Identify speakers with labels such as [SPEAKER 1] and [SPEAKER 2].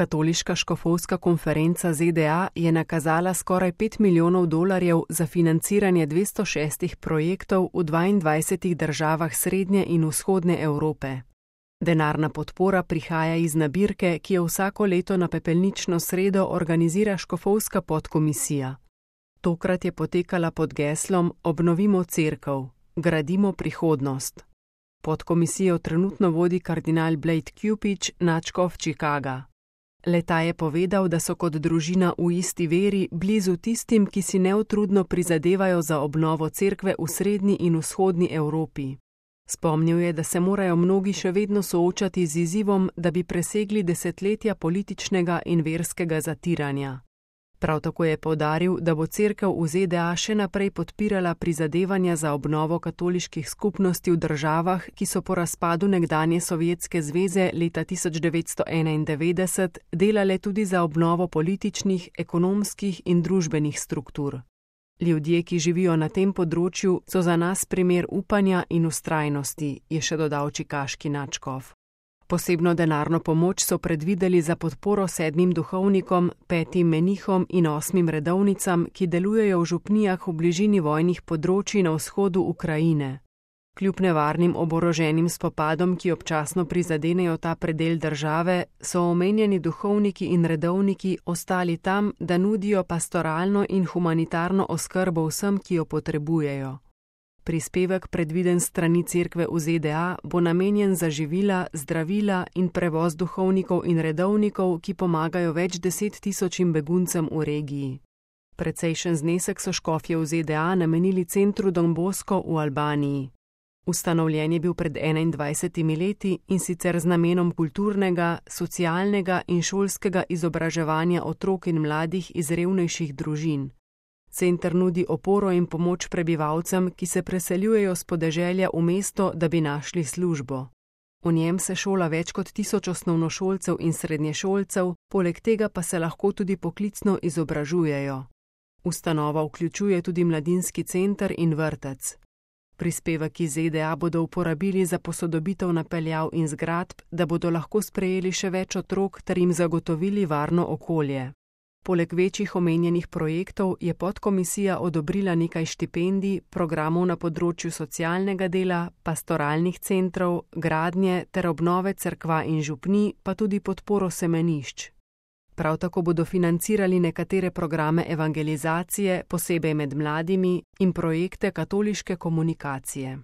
[SPEAKER 1] Katoliška škofovska konferenca ZDA je nakazala skoraj $5 milijonov za financiranje 206 projektov v 22 državah srednje in vzhodne Evrope. Denarna podpora prihaja iz nabirke, ki jo vsako leto na pepelnično sredo organizira škofovska podkomisija. Tokrat je potekala pod geslom Obnovimo cerkev, gradimo prihodnost. Podkomisijo trenutno vodi kardinal Blade Cupich, nadškof Chicaga. Le-ta je povedal, da so kot družina v isti veri blizu tistim, ki si neutrudno prizadevajo za obnovo cerkve v srednji in vzhodni Evropi. Spomnil je, da se morajo mnogi še vedno soočati z izzivom, da bi presegli desetletja političnega in verskega zatiranja. Prav tako je poudaril, da bo cerkev v ZDA še naprej podpirala prizadevanja za obnovo katoliških skupnosti v državah, ki so po razpadu nekdanje Sovjetske zveze leta 1991 delale tudi za obnovo političnih, ekonomskih in družbenih struktur. Ljudje, ki živijo na tem področju, so za nas primer upanja in vztrajnosti, je še dodal čikaški nadškof. Posebno denarno pomoč so predvideli za podporo 7 duhovnikom, 5 menihom in 8 redovnicam, ki delujejo v župnijah v bližini vojnih področij na vzhodu Ukrajine. Kljub nevarnim oboroženim spopadom, ki občasno prizadenejo ta predel države, so omenjeni duhovniki in redovniki ostali tam, da nudijo pastoralno in humanitarno oskrbo vsem, ki jo potrebujejo. Prispevek, predviden s strani cerkve v ZDA, bo namenjen za živila, zdravila in prevoz duhovnikov in redovnikov, ki pomagajo več 10 000 beguncem v regiji. Precejšen znesek so škofje v ZDA namenili centru Don Bosco v Albaniji. Ustanovljen je bil pred 21 leti in sicer z namenom kulturnega, socialnega in šolskega izobraževanja otrok in mladih iz revnejših družin. Center nudi oporo in pomoč prebivalcem, ki se preseljujejo s podeželja v mesto, da bi našli službo. V njem se šola več kot 1000 osnovnošolcev in srednješolcev, poleg tega pa se lahko tudi poklicno izobražujejo. Ustanova vključuje tudi mladinski center in vrtec. Prispevek iz ZDA bodo uporabili za posodobitev napeljav in zgradb, da bodo lahko sprejeli še več otrok ter jim zagotovili varno okolje. Poleg večjih omenjenih projektov je podkomisija odobrila nekaj štipendij, programov na področju socialnega dela, pastoralnih centrov, gradnje ter obnove cerkva in župnij, pa tudi podporo semenišč. Prav tako bodo financirali nekatere programe evangelizacije, posebej med mladimi, in projekte katoliške komunikacije.